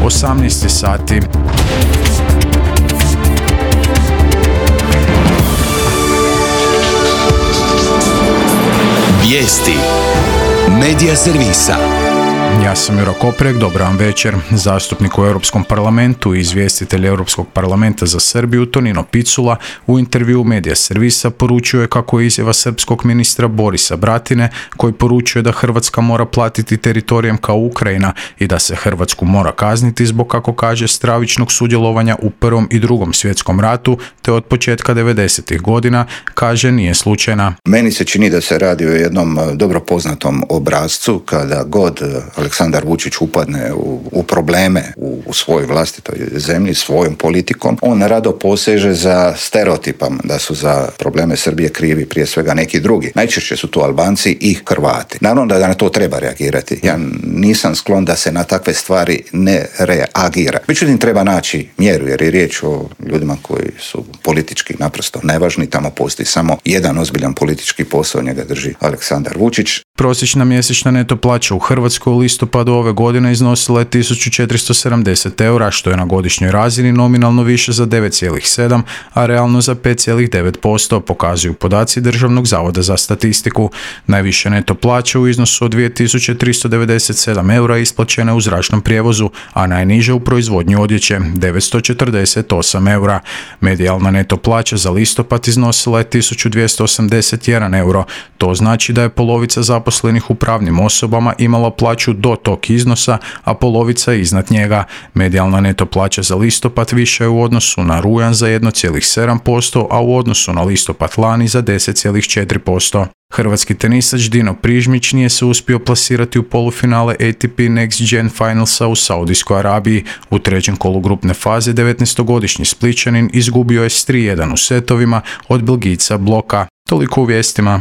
18 sati. Vijesti Medija servisa. Ja sam Juro Koprek, dobar vam večer. Zastupnik u Europskom parlamentu i izvjestitelj Europskog parlamenta za Srbiju Tonino Picula u intervjuu Medija servisa poručio je kako je izjava srpskog ministra Borisa Bratine, koji poručuje da Hrvatska mora platiti teritorijem kao Ukrajina i da se Hrvatsku mora kazniti zbog, kako kaže, stravičnog sudjelovanja u Prvom i Drugom svjetskom ratu, te od početka 90. godina, kaže, nije slučajna. Meni se čini da se radi o jednom dobro poznatom obrascu kada god Aleksandar Vučić upadne u probleme u svojoj vlastitoj zemlji, svojom politikom, on rado poseže za stereotipom da su za probleme Srbije krivi prije svega neki drugi. Najčešće su to Albanci i Hrvati. Naravno da na to treba reagirati. Ja nisam sklon da se na takve stvari ne reagira. Međutim, treba naći mjeru, jer je riječ o ljudima koji su politički naprosto nevažni. Tamo postoji samo jedan ozbiljan politički posao, njega drži Aleksandar Vučić. Prosječna mjesečna neto plaća u Hrvatskoj u listopadu ove godine iznosila je 1470 eura, što je na godišnjoj razini nominalno više za 9,7, a realno za 5,9%, pokazuju podaci Državnog zavoda za statistiku. Najviše neto plaće u iznosu od 2397 eura isplaćene u zračnom prijevozu, a najniže u proizvodnji odjeće, 948 eura. Medijalna neto plaća za listopad iznosila je 1281 euro. To znači da je polovica zaposlenih u pravnim osobama imala plaću do tog iznosa, a polovica iznad njega. Medijalna neto plaća za listopad više je u odnosu na rujan za 1,7%, a u odnosu na listopad lani za 10,4%. Hrvatski tenisač Dino Prižmić nije se uspio plasirati u polufinale ATP Next Gen Finalsa u Saudijskoj Arabiji. U trećem kolu grupne faze 19-godišnji Splićanin izgubio je s 3:1 u setovima od Belgijca Bloka. Toliko u vijestima.